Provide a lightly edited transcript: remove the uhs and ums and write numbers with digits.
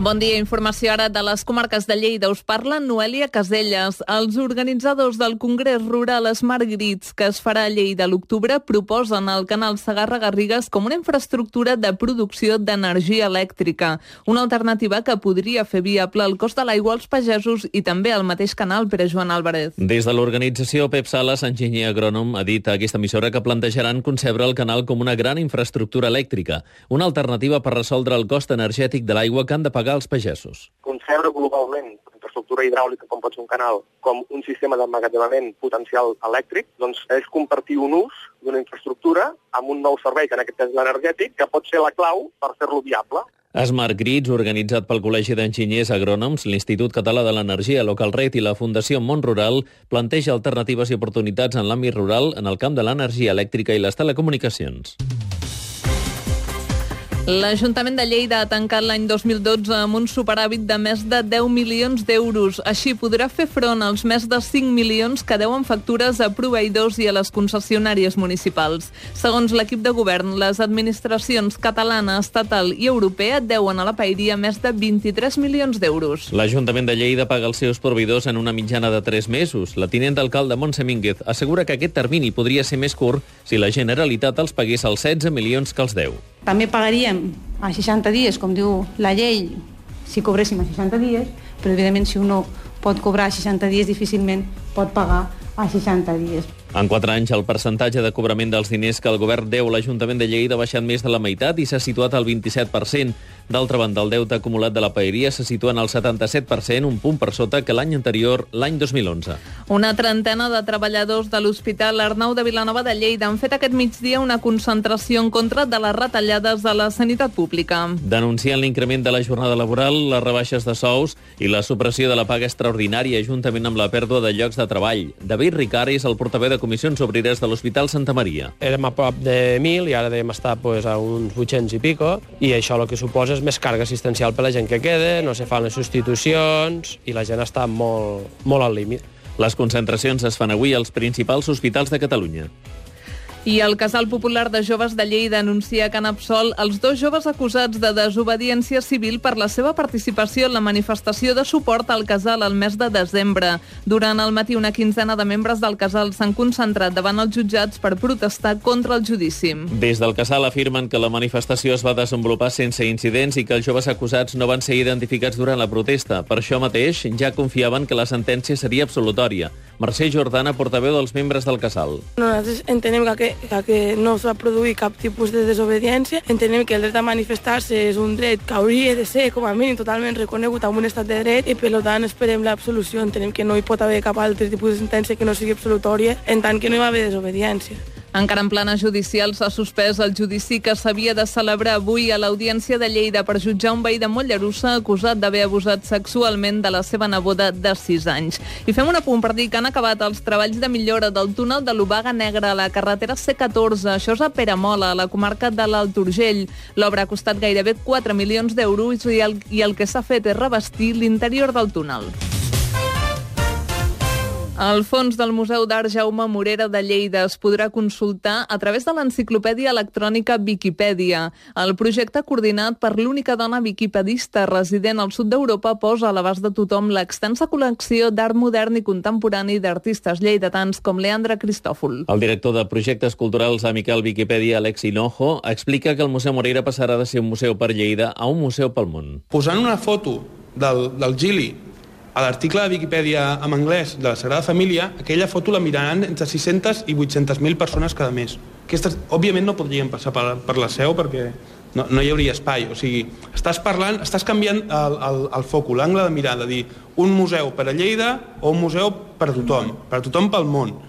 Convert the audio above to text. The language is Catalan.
Bon dia, informació ara de les comarques de Lleida. Us parla Noelia Caselles. Els organitzadors del Congrés Rural Smart Grids, que es farà a Lleida a l'octubre, proposen el canal Segarra-Garrigues com una infraestructura de producció d'energia elèctrica. Una alternativa que podria fer viable el cost de l'aigua als pagesos i també al mateix canal, per a Joan Álvarez. Des de l'organització, Pep Sales, enginyer agrònom, ha dit a aquesta emissora que plantejaran concebre el canal com una gran infraestructura elèctrica, una alternativa per resoldre el cost energètic de l'aigua que han de pagar els pagesos. Concebre globalment infraestructura hidràulica, com pot ser un canal, com un sistema d'emmagatzemament potencial elèctric, doncs és compartir un ús d'una infraestructura amb un nou servei, que en aquest cas és l'energètic, que pot ser la clau per fer-lo viable. Smart Grids, organitzat pel Col·legi d'Enginyers Agrònoms, l'Institut Català de l'Energia, Localret i la Fundació Món Rural, planteja alternatives i oportunitats en l'àmbit rural en el camp de l'energia elèctrica i les telecomunicacions. L'Ajuntament de Lleida ha tancat l'any 2012 amb un superàvit de més de 10 milions d'euros. Així podrà fer front als més de 5 milions que deuen factures a proveïdors i a les concessionàries municipals. Segons l'equip de govern, les administracions catalana, estatal i europea deuen a la paeria més de 23 milions d'euros. L'Ajuntament de Lleida paga els seus proveïdors en una mitjana de 3 mesos. La tinent d'alcalde Montse Mínguez assegura que aquest termini podria ser més curt si la Generalitat els pagués els 16 milions que els deu. També pagaríem a 60 dies, com diu la llei, si cobréssim a 60 dies, però evidentment si un pot cobrar a 60 dies difícilment pot pagar a 60 dies. En 4 anys, el percentatge de cobrament dels diners que el govern deu a l'Ajuntament de Lleida ha baixat més de la meitat i s'ha situat al 27%. D'altra banda, el deute acumulat de la paeria se situa en el 77%, un punt per sota que l'any anterior, l'any 2011. Una trentena de treballadors de l'Hospital Arnau de Vilanova de Lleida han fet aquest migdia una concentració en contra de les retallades de la sanitat pública. Denunciant l'increment de la jornada laboral, les rebaixes de sous i la supressió de la paga extraordinària, juntament amb la pèrdua de llocs de treball. David Ricard és el portaveu de Comissions Obreres de l'Hospital Santa Maria. Érem a prop de 1.000 i ara devem estar a uns 800 i pico, i això el que suposa és més càrrega assistencial per la gent que queda, no se fan les substitucions i la gent està molt al límit. Les concentracions es fan avui als principals hospitals de Catalunya. I el Casal Popular de Joves de Lleida anuncia que han absolt els 2 joves acusats de desobediència civil per la seva participació en la manifestació de suport al casal al mes de desembre. Durant el matí, una quinzena de membres del casal s'han concentrat davant els jutjats per protestar contra el judici. Des del casal afirmen que la manifestació es va desenvolupar sense incidents i que els joves acusats no van ser identificats durant la protesta. Per això mateix, ja confiaven que la sentència seria absolutòria. Mercè Jordana, portaveu dels membres del casal. Nosaltres entenem que no es va produir cap tipus de desobediència. Entenem que el dret a manifestar-se és un dret que hauria de ser, com a mínim, totalment reconegut amb un estat de dret i, per tant, esperem l'absolució. Entenem que no hi pot haver cap altre tipus de sentència que no sigui absolutòria, en tant que no hi va haver desobediència. Encara en plana judicial s'ha suspès el judici que s'havia de celebrar avui a l'Audiència de Lleida per jutjar un veí de Mollerussa acusat d'haver abusat sexualment de la seva neboda de 6 anys. I fem un apunt per dir que han acabat els treballs de millora del túnel de l'Obaga Negra a la carretera C14. Això és a Peramola, a la comarca de l'Alt Urgell. L'obra ha costat gairebé 4 milions d'euros i el que s'ha fet és revestir l'interior del túnel. El fons del Museu d'Art Jaume Morera de Lleida es podrà consultar a través de l'enciclopèdia electrònica Viquipèdia. El projecte coordinat per l'única dona viquipedista resident al sud d'Europa posa a l'abast de tothom l'extensa col·lecció d'art modern i contemporani d'artistes lleidatans com Leandre Cristòfol. El director de projectes culturals a Miquel Viquipèdia, Alex Hinojo, explica que el Museu Morera passarà de ser un museu per Lleida a un museu pel món. Posant una foto del Gili a l'article de Viquipèdia en anglès de la Sagrada Família, aquella foto la miraran entre 600 i 800.000 persones cada mes. Aquestes, òbviament, no podrien passar per la seu perquè no hi hauria espai. O sigui, estàs canviant el focus, l'angle de mirar, de dir un museu per a Lleida o un museu per a tothom pel món.